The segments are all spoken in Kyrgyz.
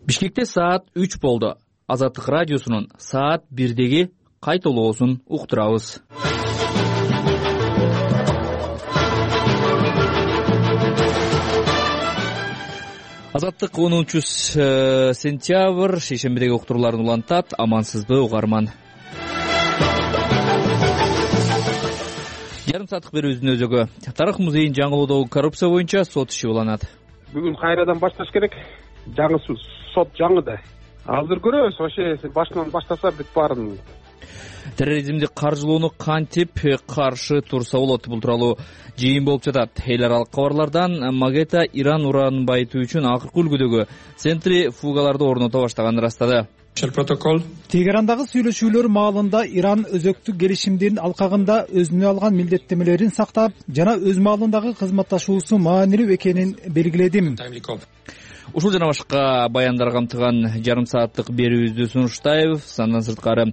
Бишкекте саат 3 болду. Азаттык радиосунун саат 1деги кайталоосун уктурабыз. Азаттык 10-сентябрь шейшембидеги уктурууларын улантат. Амансызбы угарман. Жарым сааттык берүүбүздүн өзөгү Тарых музейин жаңылоодогу коррупция боюнча сот иши уланат. Бүгүн кайрадан башташ керек. Жаңы сот жаңы да. Азыр көрөбүз, вообще башынан баштаса бүт баарын. Терроризмди каржылоону кантип каршы турса болот? Бул тууралуу жыйын болуп жатат. Эл аралык кабарлардан Магета Иран уранын байытуу үчүн акыркы үлгүдөгү центрифугаларды орното баштаганын ырастады. Тегерандагы сүйлөшүүлөр маалында Иран өзөктүк келишимдин алкагында өзүнө алган милдеттемелерин сактап жана өз маалындагы кызматташуусу маанилүү экенин белгиледи. Ушул жана башка баяндар камтыган жарым сааттык берүүбүздү сунуштайбыз. Андан сырткары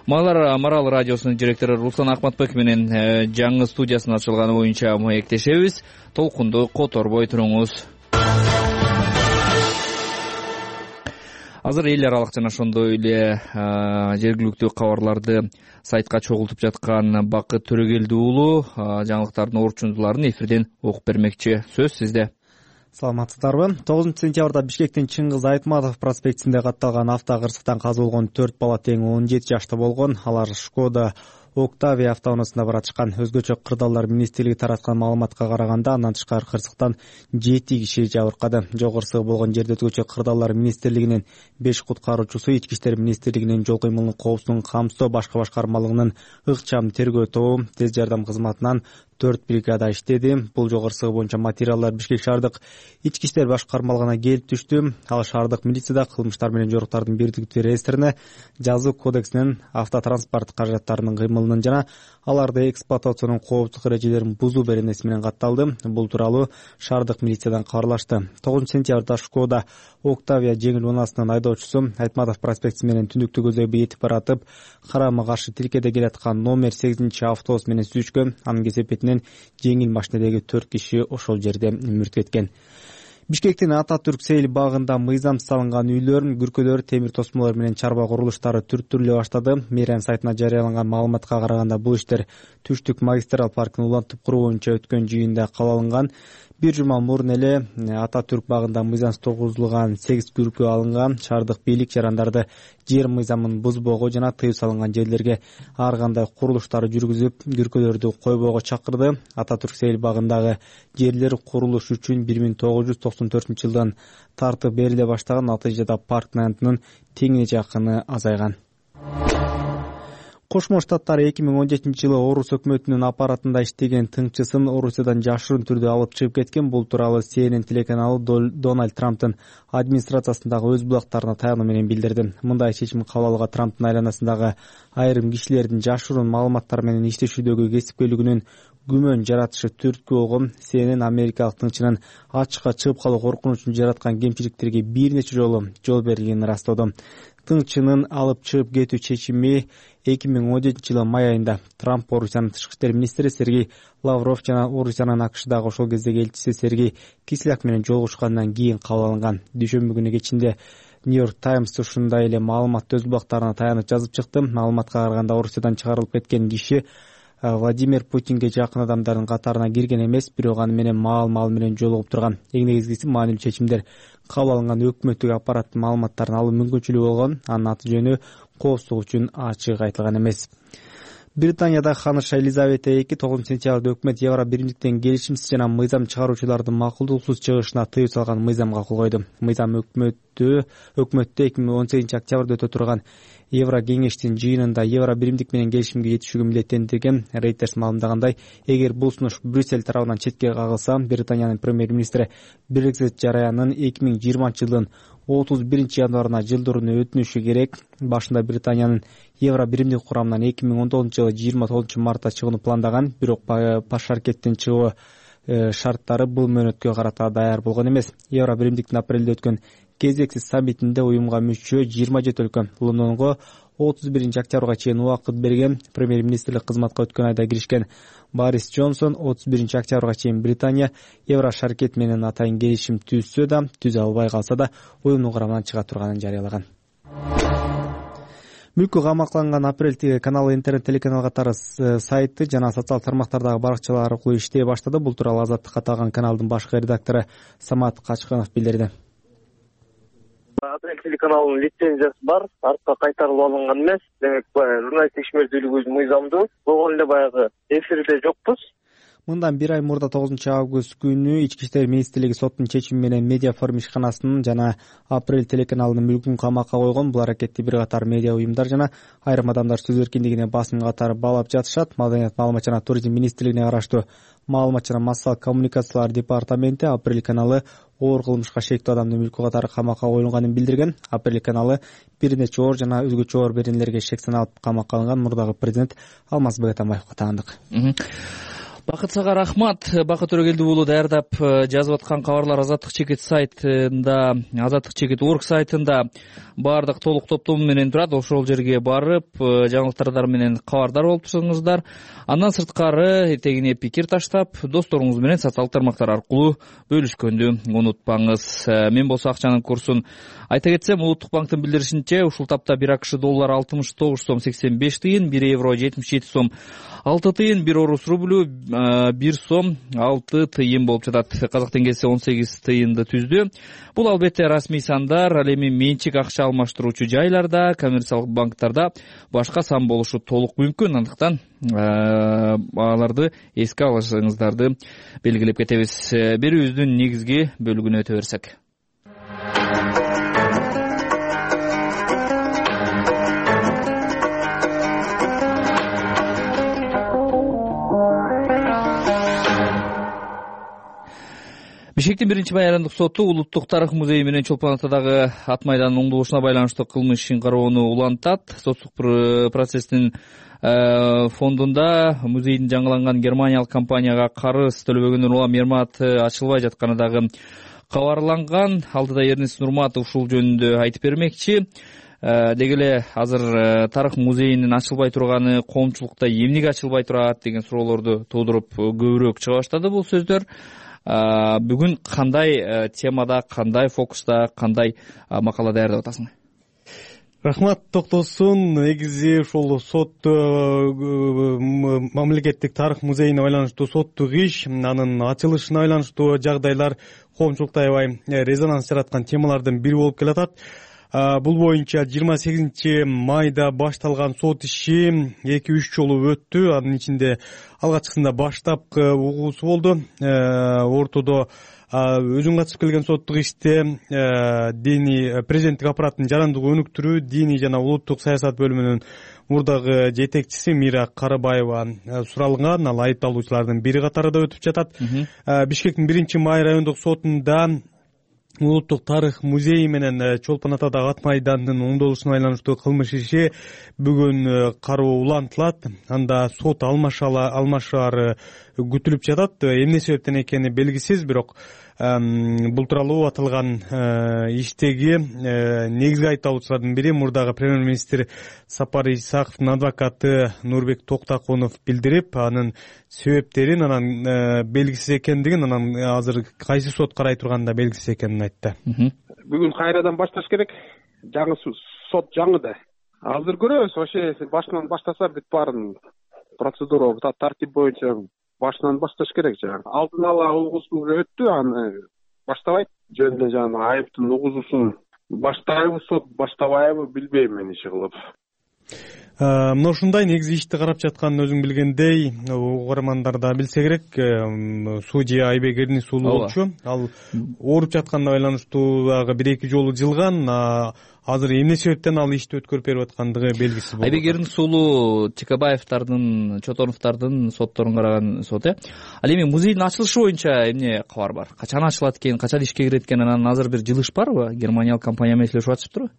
Марал радиосунун директору Руслан Акматбек менен жаңы студиясынын ачылганы боюнча маектешебиз. Толкунду которбой туруңуз. Азыр эл аралык жана ошондой эле жергиликтүү кабарларды сайтка чогултуп жаткан Бакыт Төрөгелди уулу жаңылыктардын орчундуларын эфирден окуп бермекчи. Сөз сизде. Саламатсыздарбы? 9-сентябрда Бишкектин Чыңгыз Айтматов проспектинде катталган автокырсыктан каза болгон 4 бала тең 17 жашта болгон. Алар Шкода Октавия автоунаасында баратышкан. Өзгөчө кырдаалдар министрлиги тараткан маалыматка караганда андан тышкары кырсыктан 7 киши жабыркады. Жол кырсыгы болгон жерде өзгөчө кырдаалдар министрлигинин 5 куткаруучусу, Ички иштер министрлигинин жол кыймылын коопсуздугун камсыздоо башка башкармалыгынын ыкчам тергөө тобу, тез жардам кызматынан 4 бригада иштеди. Бул жол кырсыгы боюнча материалдар Бишкек шаардык Ички иштер башкармалыгына келип түштү. Ал шаардык милицияда кылмыштар менен жоруктардын бирдиктүү реестрине, жазуу кодексинин автотранспорт каражаттарынын кыймылынын жана аларды эксплуатациянын коопсуздук эрежелерин бузуу беренеси менен катталды. Бул тууралуу шаардык милициядан кабарлашты. 9-сентябрда Шкода Октавия жеңил унаасынын айдоочусу Айтматов проспекти менен түндүктүк өзөгү этип баратып, карама каршы тилкеде келаткан номер 8-автобус менен сүзүшкөн. Анын кесепетинен жеңил машинедеги 4 киши ошол жерде мүрт кеткен. Бишкектин Ататүрк Сейил багында мыйзам салынган үйлөр, күркөлөр, темир тосмолор менен чарба курулуштары түрттүрүлө баштады. Мэрия сайтына жарыяланган маалыматка караганда бул иштер Түштүк магистрал паркын улантып куруу боюнча өткөн жыйында кабыл алынган. Bir жума мурун эле Ататүрк багында мыйзамсыз тургузулган 8 күркө алынган. Шаардык бийлик жарандарды жер мыйзамын бузбоого жана тыюу салынган жерлерге ар кандай курулуштарды жүргүзүп, күркөлөрдү койбоого чакырды. Ататүрк Сейил багындагы жерлер курулуш үчүн 1994-жылдан тартып бериле баштаган. Натыйжада парк аянтынын теңине жакыны азайган. Кошмо Штаттар 2017-жылы Орус өкмөтүнүн аппаратында иштеген тыңчысын Орусиядан жашырын түрдө алып чыгып кеткен. Бул тууралуу CNN телеканалы Дональд Трамптын администрациясындагы өз булактарына таянуу менен билдирди. Мындай чечим кабыл алууга Трамптын айланасындагы айрым кишилердин жашыруун маалыматтар менен иштешүүдөгү кесипкөйлүгүнүн күмөн жаратышы түрткү болгон. CNN америкалык тыңчынын ачыкка чыгып калуу коркунучун жараткан кемчиликтерге бир нече жолу жол берилгенин ырастоодо. Тыңчынын алып чыгып кетүү чечими 2017-жылы май айында Трамп, Орусиянын тышкы иштер министри Сергей Лавров жана Орусиянын АКШдагы ошол кездеги элчиси Сергей Кисляк менен жолугушкандан кийин кабыл алынган. Дүйшөмбү күнү кечинде Нью-Йорк Таймс ушундай эле маалыматты өз булактарына таянып жазып чыкты. Маалыматка караганда Орусиядан чыгарылып кеткен киши Владимир Путинге жакын адамдардын катарына кирген эмес, бирок аны менен маал менен жолугуп турган. Эң негизгиси маанилүү чечимдер кабыл алынган өкмөттүк аппараттын маалыматтарын алуу мүмкүнчүлүгү болгон. Анын аты жөнү коопсуздук үчүн ачык айтылган эмес. Британияда ханыша Елизавета 9-сентябрда өкмөт Евро биримдиктен келишимсиз жана мыйзам чыгаруучулардын макулдуксуз чыгышына тыюу салган мыйзамга кол койду. Мыйзам өкмөттө 2018-октябрда өтө турган Евро кеңештин жыйынында Евро биримдик менен келишимге жетишүүгө милдеттендирген. Reuters маалымдагандай, эгер бул сунуш Брюссель тарабынан четке кагылса, Британиянын премьер-министри Brexit жараянын 2020-жылдын 31-январына жылдырууну өтүнүшү керек. Башында Британиянын Евро биримдик курамынан 2019-жылы 29-мартта чыгууну пландаган, бирок баш аракеттин чыгуу шарттары бул мөөнөткө карата даяр болгон эмес. Евро биримдиктин апрелде өткөн кезексиз саммитинде уюмга мүчө 27 өлкө Лондонго 31 октябрга чейин убакыт берген. Премьер-министрлик кызматка өткөн айда киришкен Борис Джонсон 31 октябрга чейин Британия Евро шаркет менен атайын келишим түзсө да, түзө албай калса да уюмдун курамынан чыга турганын жарыялаган. Мүлкү камакталган Апрель каналы интернет телеканал катары сайты жана социал тармактардагы баракчалар аркылуу иштей баштады. Бул тууралуу Азаттыкка аталган каналдын башкы редактору Самат Качканов билдирди. Апрель телеканалынын лицензиясы бар, артка кайтарылып алынган эмес. Демек, журналисттик ишмердүүлүгүбүз мыйзамдуу. Болгон эле баягы эфирде жокпуз. Мындан 1 ай мурда 9 август күнү Ички иштер министрлиги соттун чечими менен Медиа форум ишканасынын жана Апрель телеканалынын мүлкүн камакка койгон. Бул аракетти бир катар медиа уюмдар жана айрым адамдар сөз эркиндигине басым катары баалап жатышат. Маданият, маалымат жана туризм министрлигине караштуу маалымат жана массалык коммуникациялар департаменти Апрель каналы оор кылмышка шектүү адамдын мүлкү катары камакка коюлганын билдирген. Апрель каналы бир нече оор жана өзгөчө оор беренелерге шек саналып камакка алынган. Мурдагы президент Алмазбек Атамбаевга таандык. Бакыт сага рахмат. Бакыт Төрөгелди уулу даярдап жазып аткан кабарлар Азаттык чекит сайтында, Азаттык чекит орг сайтында баардык толук топтому менен турат. Ошол жерге барып, жаңылыктар менен кабардар болуп турсаңыздар. Андан сырткары этегине пикир таштап, досторуңуз менен социал тармактар аркылуу бөлүшкөндү унутпаңыз. Мен болсо акчанын курсун айта кетсем, Улуттук банктын билдиришинче, ушул тапта 1 АКШ доллары 69 сом 85 тыйын, 1 евро 77 сом 6 тыйын, 1 орус рублю 1 сом 6 тыйын болуп жатат. Казак теңгеси 18 тыйынды түздү. Бул албетте расмий сандар, ал эми менчик акча алмаштыруучу жайларда, коммерциялык банктарда башка сан болушу толук мүмкүн. Андыктан аларды эске алышыңыздарды белгилеп кетебиз. Берүүбүздүн негизги бөлүгүнө өтө берсек. Бишкектин 1 майрандык соту Улуттук тарых музейи менен Чолпон Атадагы ат майданын оңдолушуна байланыштуу кылмыш ишин кароону улантат. Соттук процесстин фондунда музейдин жаңыланган германиялык компанияга карыз төлөбөгөндөн улам Ермат ачылбай жатканы дагы кабарланган. Алдыда Эрнест Нурматов ушул жөнүндө айтып бермекчи. Деги эле азыр тарых музейинин ачылбай турганы коомчулукта эмнеге ачылбай турат деген суроолорду туудуруп көбүрөөк чыга баштады бул сөздөр. Бүгүн кандай темада, кандай фокуста, кандай макала даярдап атасың? Рахмат, токтосун. Негизи ошол сот мамлекеттик тарых музейине байланыштуу соттук иш, анын ачылышына байланыштуу жагдайлар коомчулукта аябай резонанс жараткан темалардын бири болуп келатат. Бул боюнча 28 майда башталган сот иши 2-3 жолу өттү. Анын ичинде алгачкысында баштапкы угуусу болду. Ортодо өзүң катышып келген соттук иште диний президенттик аппараттын жарандыгы өнүктүрүү диний жана улуттук саясат бөлүмүнүн мурдагы жетекчиси Мира Карабаева суралган. Ал айыпталуучулардын бири катарында өтүп жатат. Бишкектин 1 май райондук сотунда Улуттук тарых музейи менен Чолпон Атадагы ат майдандын оңдолушуна байланыштуу кылмыш иши бүгүн кароо улантылат. Анда сот алмашаары күтүлүп жатат. Эмне себептен экени белгисиз, бирок бул тууралуу аталган иштеги негизги айыпталуучулардын бири мурдагы премьер-министр Сапар Исаковдун адвокаты Нурбек Токтакунов билдирип, анын себептерин, анан белгисиз экендигин, анан азыр кайсы сот карай турганы да белгисиз экенин айтты. Бүгүн кайрадан башташ керек. Жаңы сот жаңы да. Азыр көрөбүз, ошо башынан баштаса бүт баарын процедура, тартип боюнча башынан башташ керек. Алдын ала угуусу өттү, аны баштабайт. Жөнүндө жаңы айыптын угуусун баштайбы сот, баштабайбы билбейм мен иши кылып. Мына ушундай негизи ишти карап жатканын өзүң билгендей, угармандар да билсе керек. Судья Айбек Эрнис уулу болчу. Ал ооруп жатканына байланыштуу дагы 1-2 жолу жылган. Азыр эмне себептен ал ишти өткөрүп берип аткандыгы белгисиз болду. Айбек Эрнис уулу Чекабаевдардын, Чотоновдордун сотторун караган сот. Ал эми музейдин ачылышы боюнча эмне кабар бар? Качан ачылат экен, качан ишке кирет экен? Анан азыр бир жылыш барбы? Германиялык компания менен сүйлөшүп атышыптырбы?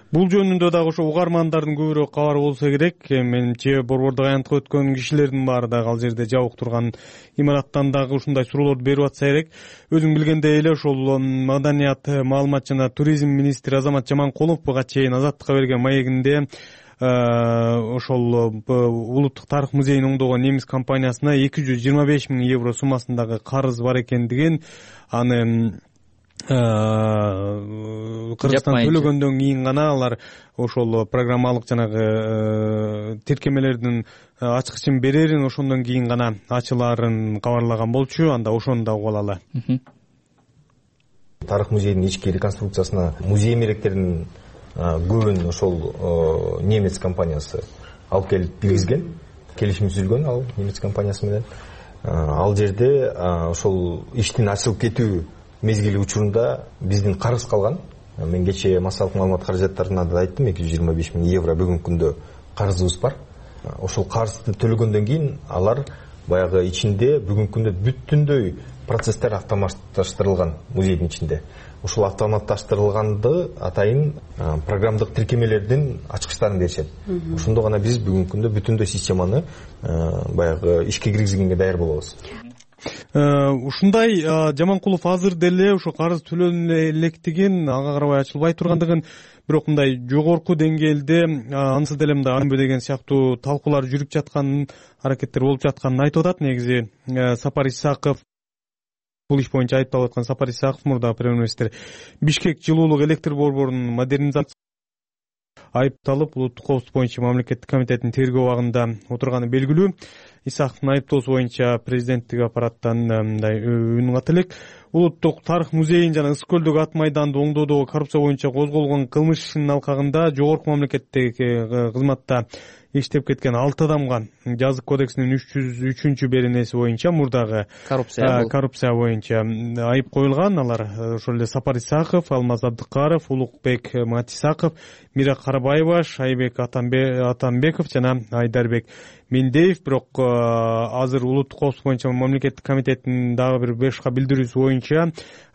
Бул жөнүндө дагы ошо угармандардын көбүрөөк кабары болсо керек. Менимче борбордук аянтка өткөн кишилердин баары дагы ал жерде жабык турган имараттан дагы ушундай суроолорду берип атса керек. Өзүң билгендей эле ошол Маданият, маалымат жана туризм министри Азамат Жаманкулов буга чейин Азаттыкка берген маегинде ошол улуттук тарых музейин оңдогон немис компаниясына 225 000 евро суммасындагы карыз бар экендигин, аны Кыргызстан төлөгөндөн кийин гана алар ошол программалык жанагы тиркемелердин ачкычын берерин, ошондон кийин гана ачылаарын кабарлаган болчу. Анда ошону да угуп алалы. Тарых музейдин ички реконструкциясына музей эмеректеринин көбүн ошол немец компаниясы алып келип киргизген, келишим түзүлгөн ал немец компаниясы менен. Ал жерде ошол иштин ачылып кетүү мезгили учурунда биздин карыз калган. Мен кечээ массалык маалымат каражаттарына да айттым, 225 000 евро бүгүнкү күндө карызыбыз бар. Ошол карызды төлөгөндөн кийин алар баягы ичинде бүгүнкү күндө бүтүндөй процесстер автоматташтырылган музейдин ичинде. Ушул автоматташтырылганды атайын программдык тиркемелердин ачкычтарын беришет. Ошондо гана биз бүгүнкү күндө бүтүндөй системаны баягы ишке киргизгенге даяр болобуз. Ушундай Жаманкулов азыр деле ошо карыз төлөнө электигин, ага карабай ачылбай тургандыгын, бирок мындай жогорку деңгээлде ансыз деле мындай анбө деген сыяктуу талкуулар жүрүп жатканын, аракеттер болуп жатканын айтып атат. Негизи Сапар Исаков, бул иш боюнча айыпталып аткан Сапар Исаков, мурдагы премьер-министр, Бишкек жылуулук электр борборунун модернизациясы айыпталып, улуттук коопсуздук боюнча мамлекеттик комитеттин тергөө абагында отурганы белгилүү. Исаковдун айыптоосу боюнча президенттик аппараттан мындай үн ката элек. Улуттук тарых музейин жана Ысык көлдөгү ат майданды оңдоодогу коррупция боюнча козголгон кылмыш ишинин алкагында жогорку мамлекеттеги кызматта иштеп кеткен 6 адамга жазык кодексинин 303-беренеси боюнча мурдагы коррупция боюнча айып коюлган. Алар ошол эле Сапар Исаков, Алмаз Абдыкаров, Улукбек Матисаков, Мира Карабаева, Шайбек Атамбеков жана Айдарбек Мендеев. Бирок азыр улуттук коопсуздук боюнча мамлекеттик комитеттин дагы бир 5 билдирүүсү боюнча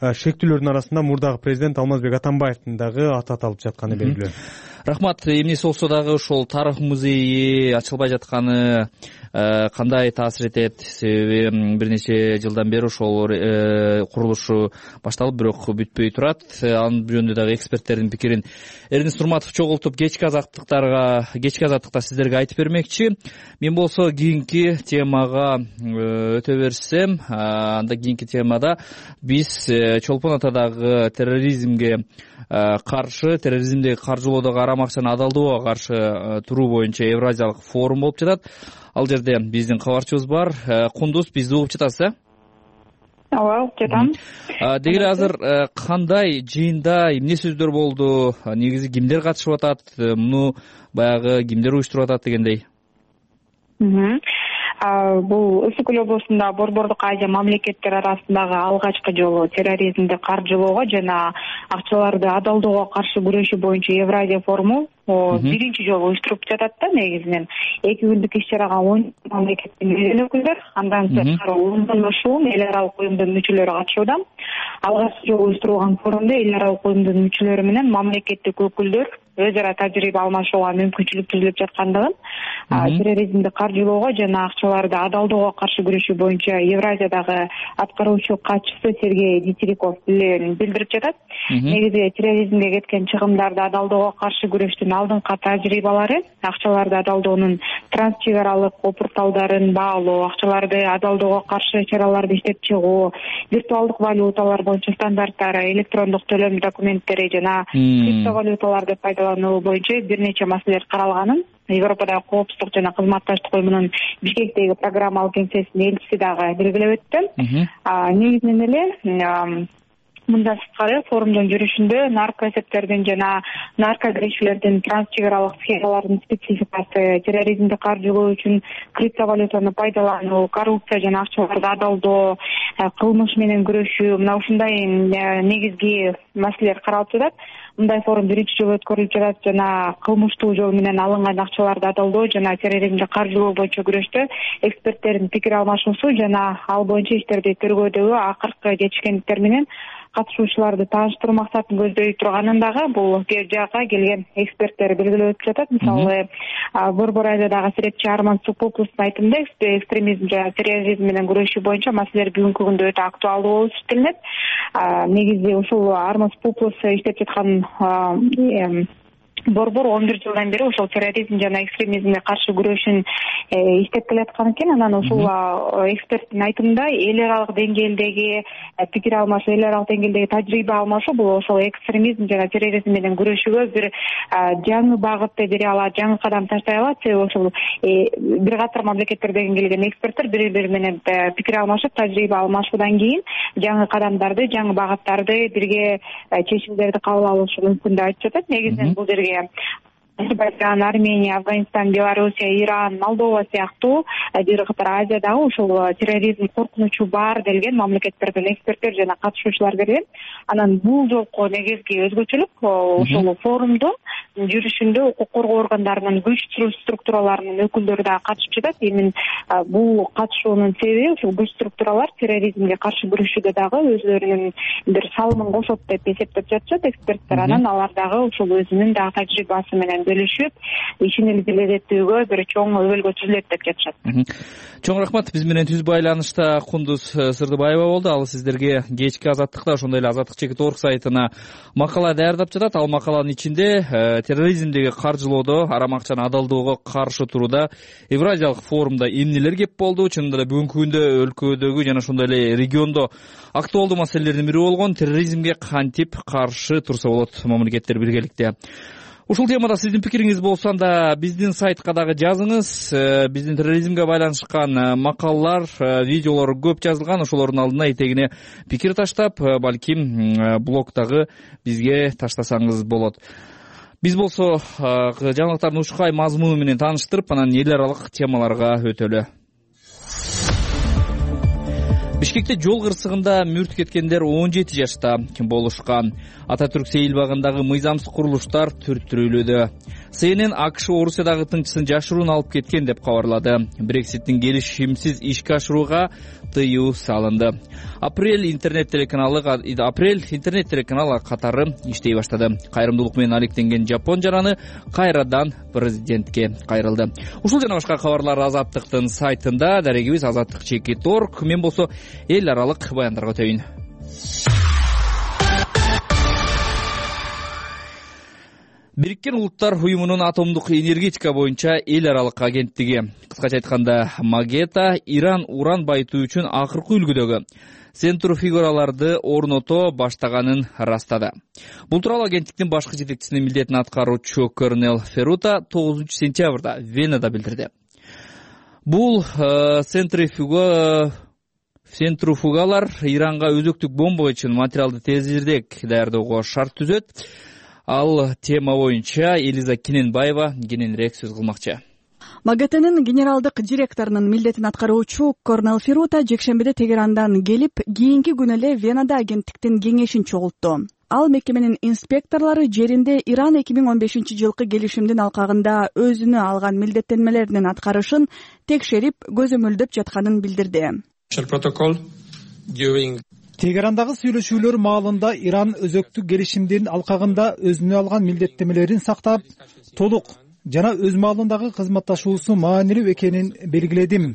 шектүүлөрдүн арасында мурдагы президент Алмазбек Атамбаевдин дагы аты аталып жатканы белгилүү. Рахмат. Эмнеси болсо дагы ошол тарых музейи ачылбай жатканы кандай таасир этет? Себеби бир нече жылдан бери ошол курулушу башталып, бирок бүтпөй турат. Анын жөнүндө дагы эксперттердин пикирин Эрнест Нурматов чогултуп кечки азаттыкта сиздерге айтып бермекчи. Мен болсо кийинки темага өтө берсем, анда кийинки темада биз Чолпон Атадагы терроризмге каршы, терроризмдеги каржылоодогу арам акчаны адалдоого каршы туруу боюнча Евразиялык форум болуп жатат. Ал жерде биздин кабарчыбыз бар. Кундуз, бизди угуп жатасыз, Ооба, жатам. Деги эле азыр кандай жыйында эмне сөздөр болду? Негизи кимдер катышып атат? Муну баягы кимдер уюштуруп атат дегендей? Бул Ысык көл облусунда Борбордук Азия мамлекеттери арасындагы алгачкы жолу терроризмди каржылоого жана акчаларды адалдоого каршы күрөшүү боюнча Евразия форуму биринчи жолу уюштуруп жатат да. Негизинен 2 күндүк иш-чарага 10 мамлекеттин өкүлдөр, андан сырткары 10дон ашуун эл аралык уюмдун мүчөлөрү катышууда. Алгачкы жолу уюштурулган форумда эл аралык уюмдун мүчөлөрү менен мамлекеттик өкүлдөр өз ара тажрыйба алмашууга мүмкүнчүлүк түзүлүп жаткандыгын, терроризмди каржылоого жана акчаларды адалдоого каршы күрөшүү боюнча Евразиядагы аткаруучу катчысы Сергей Дитериков билдирип жатат. Негизи терроризмге кеткен чыгымдарды адалдоого каршы күрөштүн алдыңкы тажрыйбалары, акчаларды адалдоонун транс чек аралык порталдарын баалоо, акчаларды адалдоого каршы чараларды иштеп чыгуу, виртуалдык валюталар боюнча стандарттары, электрондук төлөм документтери жана криптовалюталарды пайдалануу боюнча бир нече маселелер каралганын Европадагы коопсуздук жана кызматташтык уюмунун Бишкектеги программалык кеңсесинин элчиси дагы белгилеп өттү. Негизинен эле мындан сырткары форумдун жүрүшүндө наркоэсептердин жана наркокирешүүлөрдүн транс чек аралык схемалардын спецификасы, терроризмди каржылоо үчүн криптовалютаны пайдалануу, коррупция жана акчаларды адалдоо, кылмыш менен күрөшүү, мына ушундай негизги маселелер каралып жатат. Мындай форум биринчи жолу өткөрүлүп жатат жана кылмыштуу жол менен алынган акчаларды адалдоо жана терроризмди каржылоо боюнча күрөштө эксперттердин пикир алмашуусу жана ал боюнча иштерди тергөөдөгү акыркы жетишкендиктер менен катышуучуларды тааныштыруу максатын көздөй турганын дагы бул жакка келген эксперттер белгилеп өтүп жатат. Мисалы Борбор Азиядагы серепчи Арман Супуплустун айтымында экстремизм жана терроризм менен күрөшүү боюнча маселелер бүгүнкү күндө өтө актуалдуу болуп эсептелинет. Негизи ушул Арман Супуплус иштеп жаткан борбор 11 жылдан бери ошол терроризм жана экстремизмге каршы күрөшүн иштеп келаткан экен. Анан ушул эксперттин айтымында эл аралык деңгээлдеги пикир алмашуу, эл аралык деңгээлдеги тажрыйба алмашуу бул ошол экстремизм жана терроризм менен күрөшүүгө бир жаңы багытты бере алат, жаңы кадам таштай алат. Себеби ошол бир катар мамлекеттерден келген эксперттер бири-бири менен пикир алмашып, тажрыйба алмашуудан кийин жаңы кадамдарды, жаңы багыттарды, бирге чечимдерди кабыл алышы мүмкүн деп айтып жатат. Негизинен бул жерге Азербайджан, Армения, Афганистан, Белоруссия, Иран, Молдова сыяктуу бир катар Азиядагы ушул терроризм коркунучу бар делген мамлекеттерден эксперттер жана катышуучулар келген. Анан бул жолку негизги өзгөчөлүк ушул форумдун жүрүшүндө укук коргоо органдарынын күч структураларынын өкүлдөрү дагы катышып жатат. Эми бул катышуунун себеби ушул күч структуралар терроризмге каршы күрөшүүдө дагы өзлөрүнүн бир салымын кошот деп эсептеп жатышат эксперттер. Анан алар дагы ушул өзүнүн дагы тажрыйбасы менен бөлүшүп, ишин илгерилетүүгө бир чоң өбөлгө түзүлөт деп жатышат. Чоң рахмат. Биз менен түз байланышта Кундуз Сырдыбаева болду. Ал сиздерге кечки Азаттыкта, ошондой эле azattik.org сайтына макала даярдап жатат. Ал макаланын ичинде терроризмдеги каржылоодо, арам акчаны адалдоого каршы турууда Евразиялык форумда эмнелер кеп болду? Чынында да бүгүнкү күндө өлкөдөгү жана ошондой эле региондо актуалдуу маселелердин бири болгон терроризмге кантип каршы турса болот мамлекеттер биргеликте. Ушул темада сиздин пикириңиз болсо анда биздин сайтка дагы жазыңыз. Биздин терроризмге байланышкан макалалар, видеолор көп жазылган. Ошолордун алдына этегине пикир таштап, балким блогдагы бизге таштасаңыз болот. Биз болсо жаңылыктардын ушкай мазмуну менен тааныштырып, анан эл аралык темаларга өтөлү. Бишкекте жол кырсыгында мүрт кеткендер 17 жашта болушкан. Ататүрк сейилбагындагы мыйзамсыз курулуштар түрттүрүлүүдө. CNN АКШ Орусиядагы тынчысын жашыруун алып кеткен деп кабарлады. Брекситтин келишимсиз ишке ашырууга тыюу салынды. Апрель интернет телеканалы катары иштей баштады. Кайрымдуулук менен алектенген Жапон жараны кайрадан президентке кайрылды. Ушул жана башка кабарлар Азаттыктын сайтында. Дарегибиз azattik.org. Мен болсо эл аралык баяндарга өтөйүн. Бириккен Улуттар уюмунун атомдук энергетика боюнча эл аралык агенттиги, кыскача айтканда Магета, Иран уран байытуу үчүн акыркы үлгүдөгү центрифугаларды орното баштаганын растады. Бул тууралуу агенттиктин башкы жетекчисинин милдетин аткаруучу Корнел Ферута 9 сентябрда Венада билдирди. Бул центрифугалар Иранга өзөктүк бомба үчүн материалды тезирээк даярдоого шарт түзөт. Ал тема боюнча Элиза Кененбаева кененирээк сөз кылмакчы. Магетенин генералдык директорунун милдетин аткаруучу Корнел Ферута жекшембиде Тегерандан келип, кийинки күнү эле Венада агенттиктин кеңешин чогултту. Ал мекеменин инспекторлору жеринде Иран 2015-жылкы келишимдин алкагында өзүнө алган милдеттенмелеринин аткарышын текшерип, көзөмөлдөп жатканын билдирди. Тегерандагы сүйлөшүүлөр маалында Иран өзөктүк келишимдин алкагында өзүнө алган милдеттенмелерин сактап, толук жана өз маалындагы кызматташуусу маанилүү экенин белгиледим.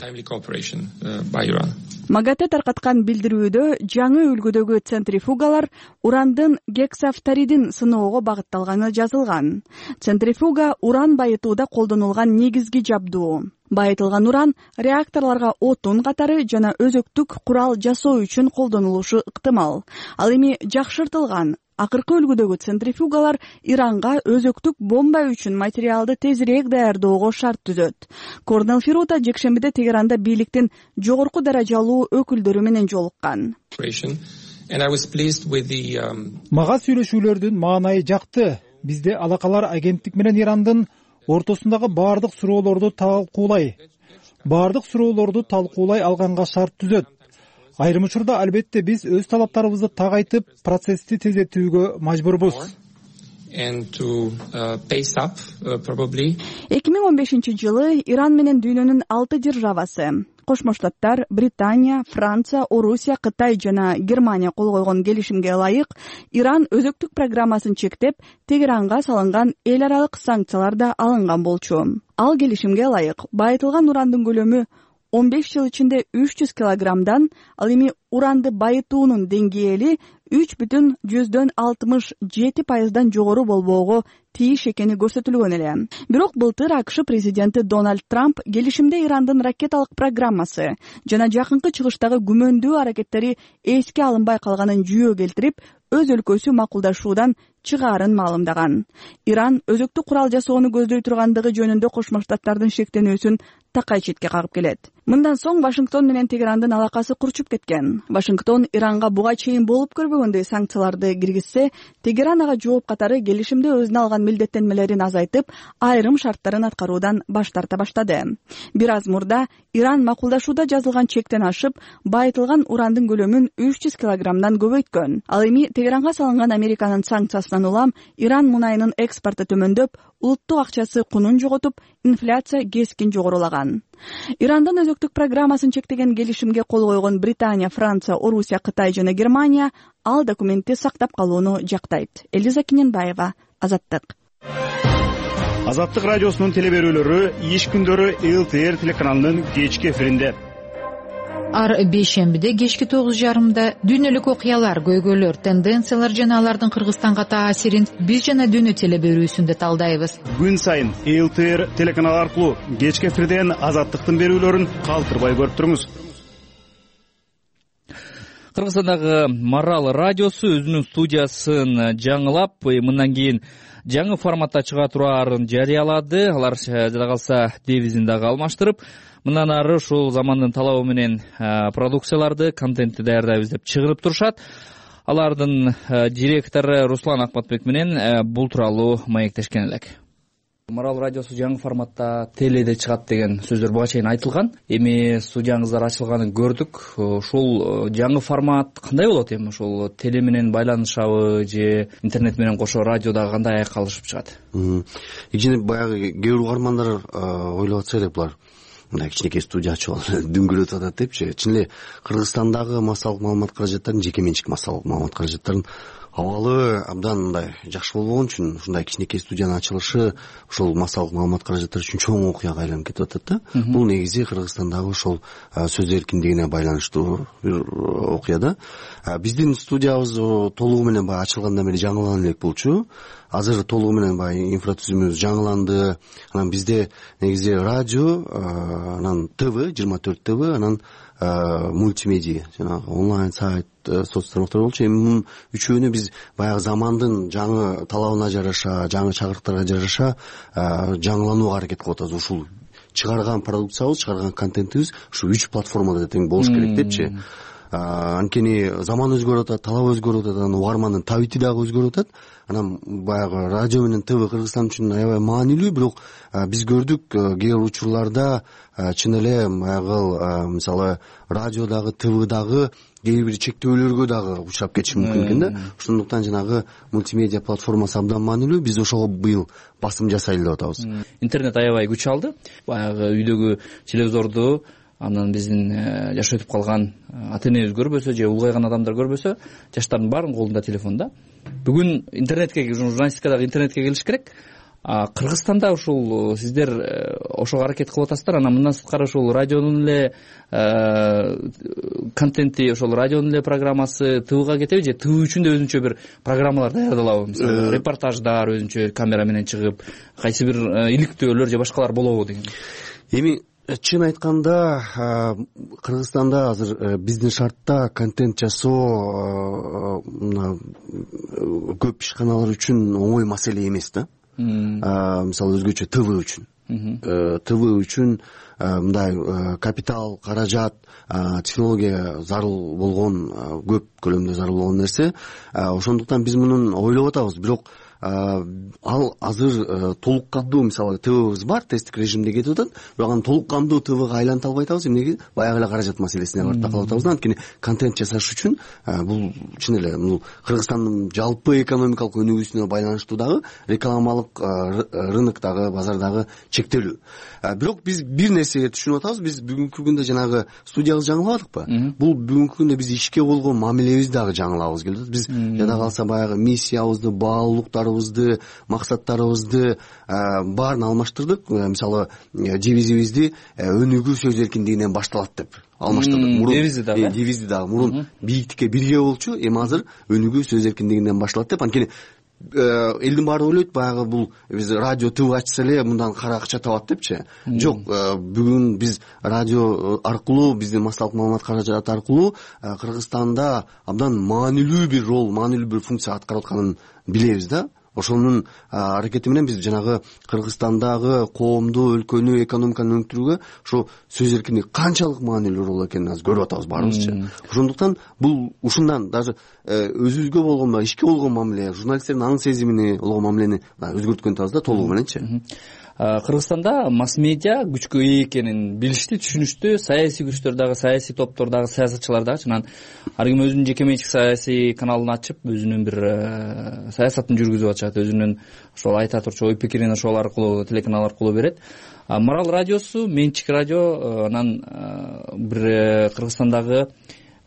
Магате таркаткан билдирүүдө жаңы үлгүдөгү центрифугалар урандын гексафторидин сыноого багытталганы жазылган. Центрифуга уран байытууда колдонулган негизги жабдуу. Байытылган уран реакторлорго отун катары жана өзөктүк курал жасоо үчүн колдонулушу ыктымал. Ал эми жакшыртылган акыркы үлгүдөгү центрифугалар Иранга өзөктүк бомба үчүн материалды тезирээк даярдоого шарт түзөт. Корнел Ферута жекшембиде Тегеранда бийликтин жогорку даражалуу өкүлдөрү менен жолуккан. Мага сүйлөшүүлөрдүн маанайы жакты. Бизде алакалар агенттик менен Ирандын ортосундагы баардык суроолорду талкуулай алганга шарт түзөт. Айрым учурда албетте биз өз талаптарыбызды тагайтып, процессти тездетүүгө мажбурбуз. and to pace up probably. 2015-жылы Иран менен дүйнөнүн 6 державасы Кошмо Штаттар, Британия, Франция, Орусия, Кытай жана Германия кол койгон келишимге ылайык Иран өзөктүк программасын чектеп, Тегеранга салынган эл аралык санкциялар да алынган болчу. Ал келишимге ылайык байытылган урандын көлөмү 15 жыл ичинде 300 килограммдан, ал эми уранды байытуунун деңгээли 3,67% жогору болбоого тийиш экени көрсөтүлгөн эле. Бирок былтыр АКШ президенти Дональд Трамп келишимде Ирандын ракеталык программасы жана жакынкы чыгыштагы күмөндүү аракеттери эске алынбай калганын жүйө келтирип, өз өлкөсү макулдашуудан чыгаарын маалымдаган. Иран өзөктүк курал жасоону көздөй тургандыгы жөнүндө Кошмо Штаттардын шектенүүсүн такай четке кагып келет. Мындан соң Вашингтон менен Тегерандын алакасы курчуп кеткен. Вашингтон Иранга буга чейин болуп көрбөгөндөй санкцияларды киргизсе, Тегеран ага жооп катары келишимде өзүнө алган милдеттенмелерин азайтып, айрым шарттарын аткаруудан баш тарта баштады. Бир аз мурда Иран макулдашууда жазылган чектен ашып, байытылган урандын көлөмүн 300 килограммдан көбөйткөн. Ал эми Тегеранга салынган Американын санкциясынан улам Иран мунайынын экспорту төмөндөп, улуттук акчасы кунун жоготуп, инфляция кескин жогорулаган. Ирандын өзөктүк программасын чектеген келишимге кол койгон Британия, Франция, Орусия, Кытай жана Германия ал документти сактап калууну жактайт. Элиза Киненбаева, Азаттык. Азаттык радиосунун телеберүүлөрү иш күндөрү ЛТР телеканалынын кечки эфиринде. Ар бейшембиде кечки 9:30 дүйнөлүк окуялар, көйгөйлөр, тенденциялар жана алардын Кыргызстанга таасирин биз жана дүйнө телеберүүсүндө талдайбыз. Күн сайын ЛТР телеканалы аркылуу кечки эфирден Азаттыктын берүүлөрүн калтырбай көрүп туруңуз. Кыргызстандагы Марал радиосу өзүнүн студиясын жаңылап, мындан кийин жаңы форматта чыга тураарын жарыялады. Алар жада калса девизин дагы алмаштырып, мындан ары ушул замандын талабы менен продукцияларды, контентти даярдайбыз деп чыгарып турушат. Алардын директору Руслан Акматбек менен бул тууралуу маектешкен элек. Марал радиосу жаңы форматта теледе чыгат деген сөздөр буга чейин айтылган. Эми студияңыздар ачылганын көрдүк. Ушул жаңы формат кандай болот эми? Ушул теле менен байланышабы же интернет менен кошо радиодагы кандай аякка алышып чыгат? Ичинде баягы кээ бир угармандар ойлоп атса элек булар мындай кичинекей студия ачып алып дүңгүрөтүп атат депчи. Чын эле Кыргызстандагы массалык маалымат каражаттарын, жеке менчик массалык маалымат каражаттарын абалы абдан мындай жакшы болбогон үчүн ушундай кичинекей студиянын ачылышы ошол массалык маалымат каражаттары үчүн чоң окуяга айланып кетип атат да. Бул негизи Кыргызстандагы ошол сөз эркиндигине байланыштуу бир окуя да. Биздин студиябыз толугу менен баягы ачылгандан бери жаңылана элек болчу. Азыр толугу менен баягы инфратүзүмүбүз жаңыланды. Анан бизде негизи радио, анан ТВ, 24 ТВ, анан мультимедиа, жанагы онлайн сайт, соц тармактар болчу. Эми мунун үчөөнү биз баягы замандын жаңы талабына жараша, жаңы чакырыктарга жараша жаңыланууга аракет кылып атабыз. Ушул чыгарган продукциябыз, чыгарган контентибиз ушу 3 платформада тең болуш керек депчи. Анткени заман өзгөрүп атат, талап өзгөрүп атат, анан угармандын табити дагы өзгөрүп атат. Анан баягы радио менен ТВ Кыргызстан үчүн аябай маанилүү, бирок биз көрдүк кээ бир учурларда чын эле баягы мисалы радиодагы, ТВдагы кээ бир чектөөлөргө дагы учурап кетиши мүмкүн экен да. Ошондуктан жанагы мультимедиа платформасы абдан маанилүү. Биз ошого быйыл басым жасайлы деп атабыз. Интернет аябай күч алды. Баягы үйдөгү телевизорду анан биздин жашы өтүп калган ата-энебиз көрбөсө же улгайган адамдар көрбөсө, жаштардын баарынын колунда телефон да. Бүгүн интернетке, журналистикадагы интернетке келиш керек. Кыргызстанда ушул сиздер ошого аракет кылып атасыздар. Анан мындан сырткары ушул радионун эле контенти, ошол радионун эле программасы ТВга кетеби же ТВ үчүн да өзүнчө бир программалар даярдалабы? Мисалы репортаждар өзүнчө камера менен чыгып, кайсы бир иликтөөлөр же башкалар болобу деген. Эми чын айтканда Кыргызстанда азыр биздин шартта контент жасоо көп ишканалар үчүн оңой маселе эмес да. Мисалы өзгөчө ТВ үчүн. ТВ үчүн мындай капитал, каражат, технология зарыл болгон, көп көлөмдө зарыл болгон нерсе. Ошондуктан биз мунун ойлоп атабыз. Бирок ал азыр толук кандуу мисалы ТВбиз бар, тесттик режимде кетип атат, бирок аны толук кандуу ТВга айланта албай атабыз. Эмнеге? Баягы эле каражат маселесине барып такалып атабыз. Анткени контент жасаш үчүн бул чын эле бул Кыргызстандын жалпы экономикалык өнүгүүсүнө байланыштуу дагы рекламалык рыноктогу, базардагы чектелүү. Бирок биз бир нерсеге түшүнүп атабыз. Биз бүгүнкү күндө жанагы студиябыз жаңылабадыкпы? Бул бүгүнкү күндө биз ишке болгон мамилебизди дагы жаңылабыз келип атат. Биз жада калса баягы миссиябызды, баалуулуктарыбызды, максаттарыбызды баарын алмаштырдык. Мисалы девизибизди өнүгүү сөз эркиндигинен башталат деп алмаштырдык. Девизди дагы мурун бийиктикке бирге болчу, эми азыр өнүгүү сөз эркиндигинен башталат деп. Анткени элдин баары ойлойт баягы бул биз радио ТВ ачса эле мындан кара акча табат депчи. Жок, бүгүн биз радио аркылуу, биздин массалык маалымат каражаты аркылуу Кыргызстанда абдан маанилүү бир рол, маанилүү бир функция аткарып атканын билебиз да. Ошонун аракети менен биз жанагы Кыргызстандагы коомду, өлкөнү, экономиканы өңтүрүүгө ошо сөз эркиндиги канчалык маанилүү рол экенин азыр көрүп атабыз баарыбызчы. Ошондуктан бул ушундан даже өзүбүзгө болгон ишке болгон мамиле, журналисттердин аң сезимине болгон мамилени өзгөрткөн атабыз да толугу мененчи. Кыргызстанда масс-медиа күчкө ээ экенин билишти, түшүнүштү. Саясий күчтөр дагы, саясий топтор дагы, саясатчылар дагы анан ар ким өзүнүн жеке менчик саясий каналын ачып, өзүнүн бир саясатын жүргүзүп атышат, өзүнүн ошол айта турчу ой пикирин ошол аркылуу, телеканал аркылуу берет. Марал радиосу менчик радио, анан бир Кыргызстандагы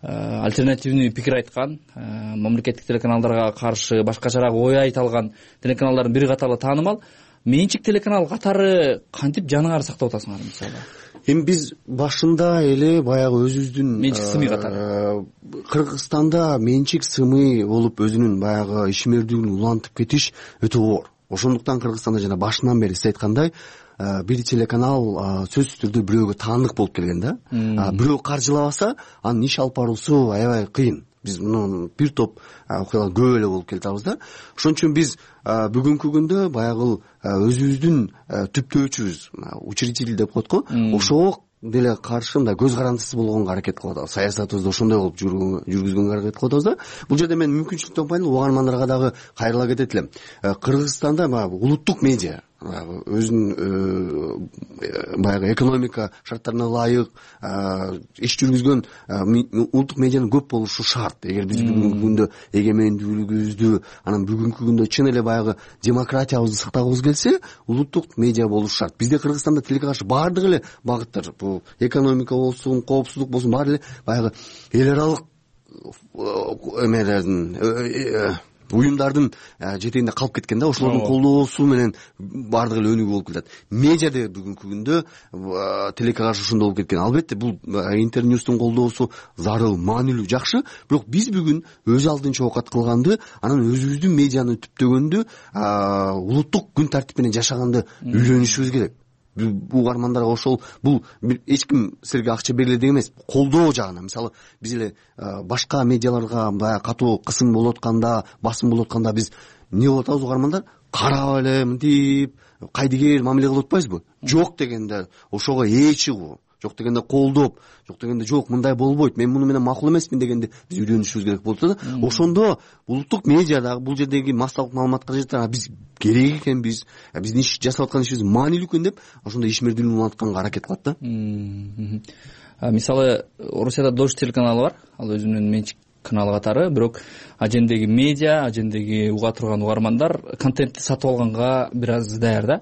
альтернативный пикир айткан, мамлекеттик телеканалдарга каршы башкачараак ой айта алган телеканалдардын бири катары таанымал. Менчик телеканал катары кантип жаныңарды сактап атасыңар мисалы? Эми биз башында эле баягы өзүбүздүн менчик сымый катары Кыргызстанда менчик сымый болуп өзүнүн баягы ишмердүүлүгүн улантып кетиш өтө оор. Ошондуктан Кыргызстанда жана башынан бери сиз айткандай бир телеканал сөзсүз түрдө бирөөгө таандык болуп келген да. Бирөө каржылабаса, анын иш алып баруусу аябай кыйын. Биз муну бир топ окуялар көп эле болуп келатабыз да. Ошон үчүн биз бүгүнкү күндө баягы өзүбүздүн түптөөчүбүз, учредитель деп коет го, ошого деле каршы мындай көз карандысыз болгонго аракет кылып атабыз. Саясатыбызды ошондой кылып жүргүзгөнгө аракет кылып атабыз да. Бул жерде мен мүмкүнчүлүк таппайм, угармандарга дагы кайрыла кетет элем. Кыргызстанда улуттук медиа өзүнүн баягы экономика шарттарына ылайык иш жүргүзгөн улуттук медианын көп болушу шарт. Эгер биз бүгүнкү күндө эгемендүүлүгүбүздү, анан бүгүнкү күндө чын эле баягы демократиябызды сактагыбыз келсе, улуттук медиа болушу шарт. Бизде Кыргызстанда тилге каршы баардык эле багыттар, бул экономика болсун, коопсуздук болсун, баары эле баягы эл аралык эмелердин уюмдардын жетегинде калып кеткен да. Ошолордун колдоосу менен баардык эле өнүгүү болуп келет. Медиада бүгүнкү күндө тилекке каршы ошондой болуп кеткен. Албетте бул интерньюстун колдоосу зарыл, маанилүү, жакшы, бирок биз бүгүн өз алдынча оокат кылганды, анан өзүбүздүн медианы түптөгөндү, улуттук күн тартип менен жашаганды үйлөнүшүбүз керек. Угармандарга ошол бул эч ким силерге акча бериле деген эмес, колдоо жагынан. Мисалы биз эле башка медиаларга баягы катуу кысым болуп атканда, басым болуп атканда биз эмне болуп атабыз угармандар? Карап эле мынтип кайдыгер мамиле кылып атпайбызбы? Жок дегенде ошого ээ чыгуу, жок дегенде колдоп, жок дегенде жок мындай болбойт, мен муну менен макул эмесмин дегенде биз үйлөнүшүбүз керек болуп атат да. Ошондо улуттук медиадагы бул жердеги массалык маалымат каражаттары биз керек экенбиз, биздин иш жасап аткан ишибиз маанилүү экен деп ошондой ишмердүүлүгүн улантканга аракет кылат да. Мисалы Орусияда Дождь телеканалы бар, ал өзүнүн менчик каналы катары, бирок ажендеги медиа, ажендеги уга турган угармандар контентти сатып алганга бир аз даяр да.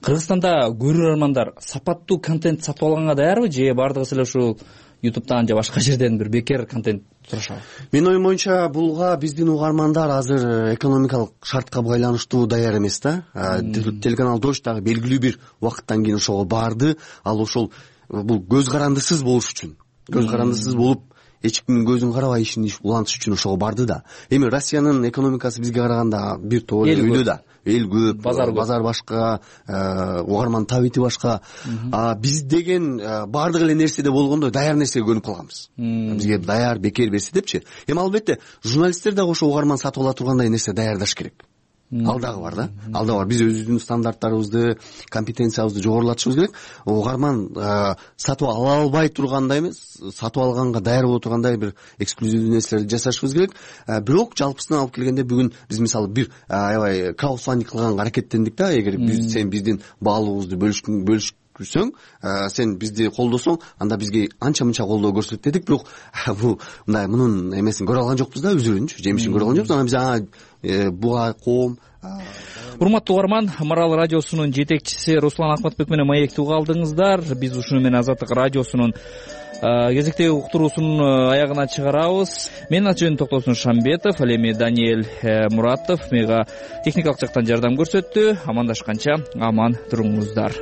Кыргызстанда көрөрмандар сапаттуу контент сатып алганга даярбы, же баардыгы эле ушул YouTube'дан же башка жерден бир бекер контент турушабы? Менин оюм боюнча булга биздин угармандар азыр экономикалык шартка байланыштуу даяр эмес да. Телеканал Дождь дагы белгилүү бир убакыттан кийин ошого барды. Ал ошол бул көз карандысыз болуш үчүн, көз карандысыз болуп эч кимдин көзүн карабай ишин улантыш үчүн ошого барды да. Эми Россиянын экономикасы бизге караганда бир топ эле үйлө да. Эл көп, базар башка, угарман табити башка. Биз деген баардык эле нерседе болгондой даяр нерсеге көнүп калганбыз. Бизге даяр бекер берсе депчи. Эми албетте журналисттер дагы ошо угарман сатып ала тургандай нерсе даярдаш керек. ал дагы бар да, ал дагы бар. Биз өзүбүздүн стандарттарыбызды, компетенциябызды жогорулатышыбыз керек. Угарман сатып ала албай тургандай эмес, сатып алганга даяр боло тургандай бир эксклюзивдүү нерселерди жасашыбыз керек. Бирок жалпысынан алып келгенде бүгүн биз мисалы бир аябай краудфандинг кылганга аракеттендик да. Эгер сен биздин баалуулугубузду бөлүшсөң, сен бизди колдосоң, анда бизге анча мынча колдоо көрсөт дедик. Бирок мындай мунун эмесин көрө алган жокпуз да, үзүрүнчү жемишин көрө алган жокпуз. Анан биз буга коом. Урматтуу угарман, Марал радиосунун жетекчиси Руслан Акматбек менен маекти уга алдыңыздар. Биз ушуну менен Азаттык радиосунун кезектеги уктуруусунун аягына чыгарабыз. Мен аты-жөнүм Токтосун Шамбетов, ал эми Даниэль Муратов мага техникалык жактан жардам көрсөттү. Амандашканча аман туруңуздар.